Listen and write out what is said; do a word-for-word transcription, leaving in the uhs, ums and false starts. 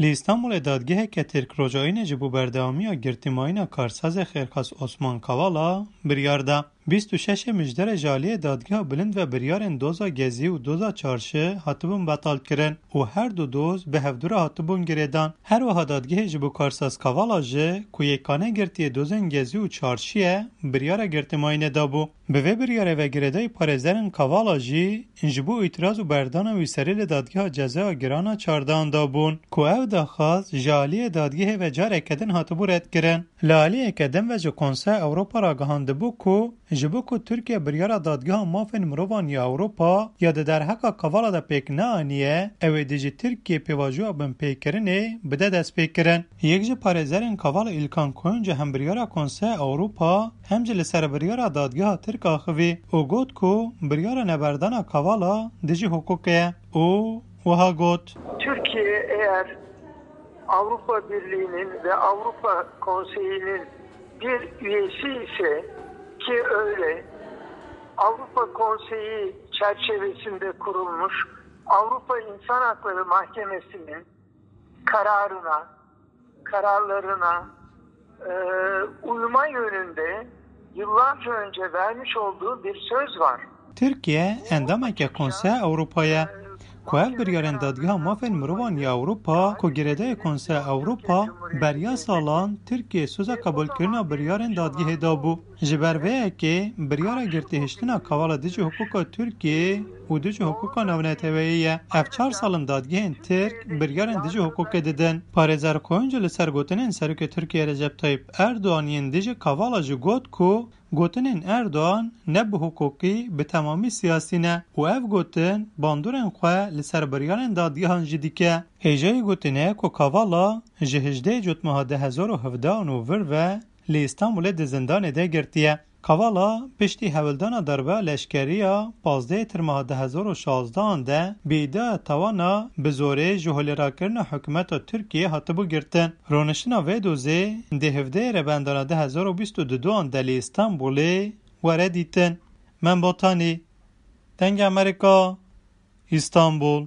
Li Îstanbulê dadgeheke Tirk roja Înê ji bo berdewamiya girtîmayîna karsazê xêrxas Osman Kavala biryar da. Bîst û şeş Mijderê ji aliyê dadgeha bilind ve biryarên doza Gezî û doza Çarşi hatibûn betal kirin û her du doz bi hevdû re hatibûn girêdan. Her wiha dadgehê ji bo karsaz Kavala jî ku yekane girtiyê dozên Gezî û Çarşiyê biryara girtîmayînê dabû. Bi vê biryarê ve girêdayî parêzerên Kavala jî ji bo îtiraz û berdana wî serî li dadgeha cezaya giran a çardehan dabûn, ku ev daxwaz ji aliyê dadgehê ve careke din hatibû redkirin. Li aliyeke din ve ji Konseya Ewropa ragihandibû ku ji bo ku Tirkiye biryara Dadgeha Mafên Mirovan ya Ewropa ya di derheqa Kavala de pêk neaniye, ew ê dijî Tirkiyê pêvajoya binpêkirinê bide destpêkirin. Yek ji parêzerên Kavala Îlkan Koyuncu hem biryara Konseya Ewropa hem jî li ser biryara dadgeha Tirk axivî û got ku biryara neberdana Kavala dijî hiqûqê ye û wiha got: Türkiye eğer Avrupa Birliği'nin ve Avrupa Konseyi'nin bir üyesi ise, ki öyle, Avrupa Konseyi çerçevesinde kurulmuş Avrupa İnsan Hakları Mahkemesi'nin kararına, kararlarına e, uyma yönünde yıllarca önce vermiş olduğu bir söz var. Tirkiye endameke Konseya Ewropa ye. Ku ev biryarên Dadgeha Mafên Mirovan ya Ewropa, ku girêdayê Konseya Ewropa, beriya salan Tirkiye soza qebûlkirina biryarên dadgehê dabû. Ji ber vê yekê biryara girtihiştina Kavala dijî hiqûqa Tirkiyê û dijî hiqûqa navneteweyî ye. Ev çar sal in dadgehên Tirk biryarên dijî hiqûqê didin. Parêzer Koyuncu li ser gotinên Serokê Tirkiyê Recep Tayyip Erdogan yên dijî Kavala jî got ku gotinên Erdogan ne bi hiqûqî, bi temamî siyasî ne û ev gotin bandorên xwe li ser biryarên dadgehan jî dike. Hêjayî gotinê ku Kavala ji hejdehê Cotmeha du hezar û hevdehan û vir ve li Îstanbulê di zindanê de girtiye. Kavala piştî hewldana darbeya leşkerî ya pazdehê Tirmeha du hezar û şazdehan de bi îdiaya tawana bi zorê ji holê rakirina hikûmeta Tirkiyê hatibû girtin. Rûniştina vê dozê di hevdehê Rebendana du hezar û bîst û duan de li Îstanbulê were dîtin. Mem Botanî, Dengê Amerîka, Îstanbul.